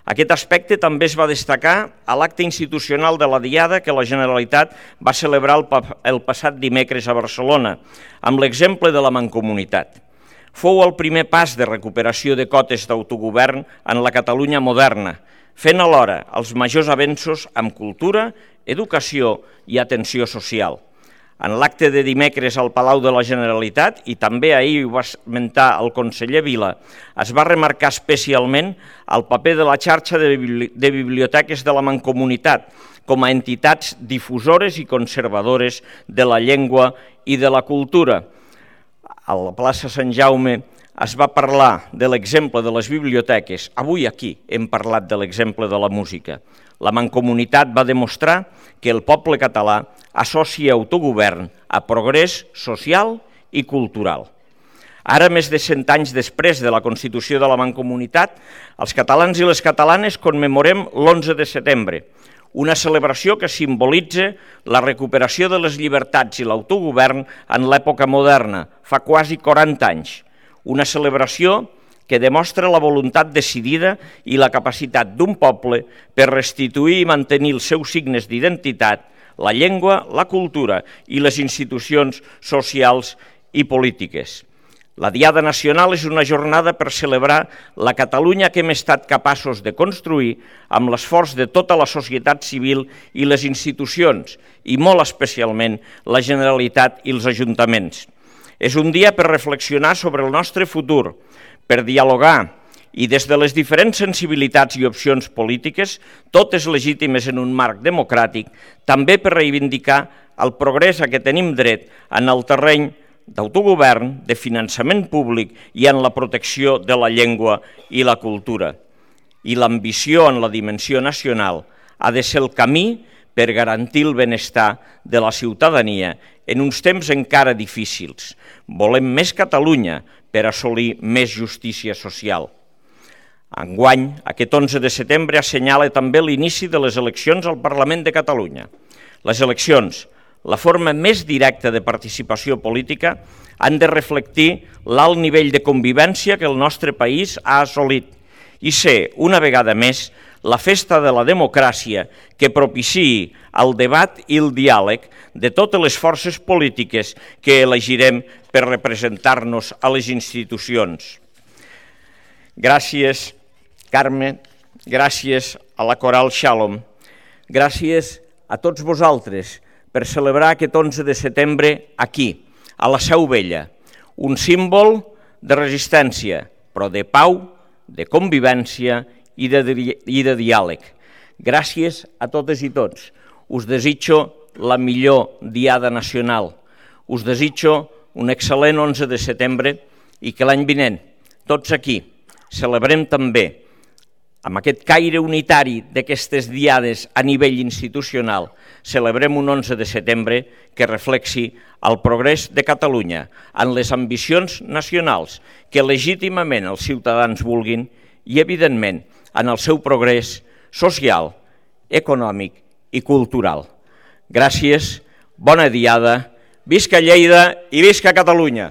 Aquest aspecte també es va destacar a l'acte institucional de la Diada que la Generalitat va celebrar el passat dimecres a Barcelona, amb l'exemple de la Mancomunitat. Fou el primer pas de recuperació de cotes d'autogovern en la Catalunya moderna, fent alhora els majors avenços en cultura, educació i atenció social. En l'acte de dimecres al Palau de la Generalitat, i també ahir ho va esmentar el conseller Vila, es va remarcar especialment el paper de la xarxa de biblioteques de la Mancomunitat com a entitats difusores i conservadores de la llengua i de la cultura. A la plaça Sant Jaume es va parlar de l'exemple de les biblioteques. Avui aquí hem parlat de l'exemple de la música. La Mancomunitat va demostrar que el poble català associa autogovern a progrés social i cultural. Ara, més de 100 anys després de la Constitució de la Mancomunitat, els catalans i les catalanes commemorem l'11 de setembre, una celebració que simbolitza la recuperació de les llibertats i l'autogovern en l'època moderna, fa quasi 40 anys. Una celebració que demostra la voluntat decidida i la capacitat d'un poble per restituir i mantenir els seus signes d'identitat, la llengua, la cultura i les institucions socials i polítiques. La Diada Nacional és una jornada per celebrar la Catalunya que hem estat capaços de construir amb l'esforç de tota la societat civil i les institucions, i molt especialment la Generalitat i els ajuntaments. És un dia per reflexionar sobre el nostre futur, per dialogar i des de les diferents sensibilitats i opcions polítiques, totes legítimes en un marc democràtic, també per reivindicar el progrés a què tenim dret en el terreny d'autogovern, de finançament públic i en la protecció de la llengua i la cultura. I l'ambició en la dimensió nacional ha de ser el camí per garantir el benestar de la ciutadania en uns temps encara difícils. Volem més Catalunya per assolir més justícia social. Enguany, aquest 11 de setembre assenyala també l'inici de les eleccions al Parlament de Catalunya. Les eleccions, la forma més directa de participació política, han de reflectir l'alt nivell de convivència que el nostre país ha assolit i ser, una vegada més, la festa de la democràcia que propiciï el debat i el diàleg de totes les forces polítiques que elegirem per representar-nos a les institucions. Gràcies, Carme, gràcies a la Coral Shalom, gràcies a tots vosaltres per celebrar aquest 11 de setembre aquí, a la Seu Vella, un símbol de resistència, però de pau, de convivència i de diàleg. Gràcies a totes i tots. Us desitjo la millor Diada Nacional. Us desitjo un excel·lent 11 de setembre i que l'any vinent, tots aquí, celebrem també amb aquest caire unitari d'aquestes diades a nivell institucional, celebrem un 11 de setembre que reflexi el progrés de Catalunya en les ambicions nacionals que legítimament els ciutadans vulguin i, evidentment, en el seu progrés social, econòmic i cultural. Gràcies, bona diada, visca Lleida i visca Catalunya!